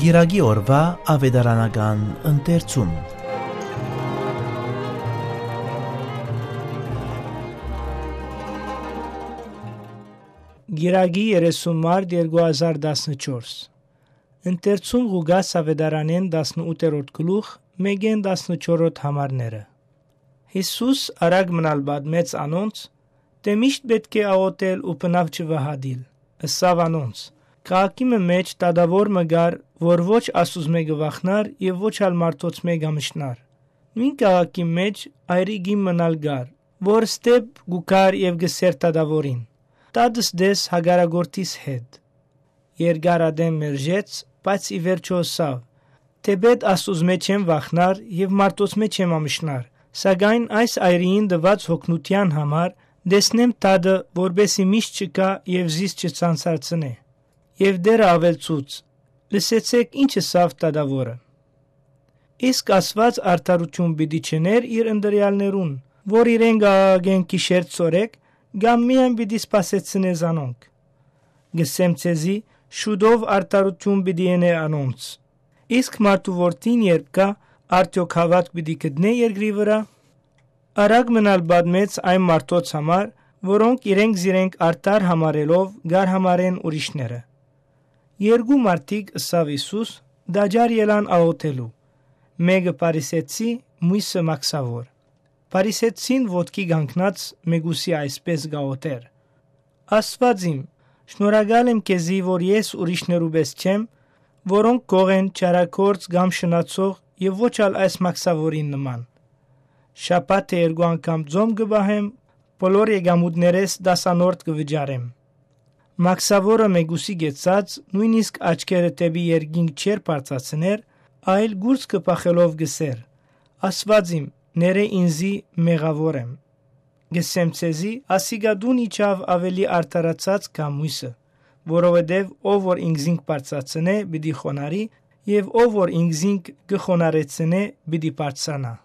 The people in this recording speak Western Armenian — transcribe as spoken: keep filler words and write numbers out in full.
Կիրակի օրուայ աւետարանական ընթերցում։ Կիրակի երեսուն մարտ երկու հազար տասնչորս։ Ընթերցում Ղուկաս աւետարանէն տասնութերորդ գլուխ, մէկէն տասնչորրորդ համարները։ Յիսուս արագ մնալ պատմեց անոնց, թէ միշտ պէտք է աղօթել ու բնաւ չվհատիլ։ Ըսաւ անոնց. «Քաղաքի մը մէջ դատաւոր մը կար, որ ոչ Աստուծմէ կը վախնար եւ ոչ ալ մարդոցմէ կ'ամշնար։ Նոյն քաղաքի մէջ այրի կին մըն ալ կար, որ ստեփ կու գար եւ կ'ըսէր դատաւորին. "Տատս տես հակառակորդիս հետ"։ Երկար ատեն մերժեց, բայց ի վերջոյ ըսաւ. "Թէպէտ Աստուծմէ չեմ վախնար եւ մարդոցմէ չեմ ամշնար, սակայն այս այրիին տուած յոգնութեան համար տեսնեմ Տատը, որպէսզի միշտ չգայ եւ զիս չցանցարցնէ"։ Եւ Տէրը աւելցուց. "Լսեցէք ինչ ըսաւ դատաւորը։ Իսկ Աստուած արդարութիւն պիտի չընէր իր ընտրեալներուն, որ իրենք աղաղակեն գիշեր ցորեկ, կամ միայն պիտի սպասեցնէ զանոնք։ Կ'ըսեմ ձեզի, շուտով արդարութիւն պիտի ընէ անոնց։ Իսկ մարդու որդին երբ գայ, արդեօք հաւատք պիտի գտնէ երկրի վրայ"։ Արագ մնալ պատմեց այն մարդոց համար, որոնք իրենք զիրենք արդար համարելով կ'արհամարեն ուրիշները։ Երկու մարդիկ, ըսաւ Յիսուս, տաճար ելան աղօթելու, մէկը փարիսեցի, միւսը մաքսաւոր։ Փարիսեցին ոտքի կանգնած մեկուսի այսպէս կ'աղօթէր. "Աստուած իմ, շնորհակալ եմ քեզի, որ ես ուրիշներու պէս չեմ, որոնք կող են չարագործ կամ շնացող եւ ոչ ալ այս մաքսաւորին նման։ Շաբաթը երկու անգամ ծոմ կը պահեմ, բոլոր եկամուտներէս տասանորդ կը վճարեմ"։ Մաքսաւորը մեկուսի կեցած, նոյնիսկ աչքերը դէպի երկինք չէր բարձրացներ, այլ կուրծքը փախելով կ'ըսէր. "Աստուած իմ, ներէ ինծի, մեղաւոր եմ"։ Կ'ըսեմ ձեզի, ասիկա տուն իջաւ աւելի արդարացած քան միւսը, որովհետեւ ով որ ինքզինք բարձրացնէ, պիտի խոնարհի, եւ ով որ ինքզինք կը խոնարհեցնէ, պիտի բարձրանայ։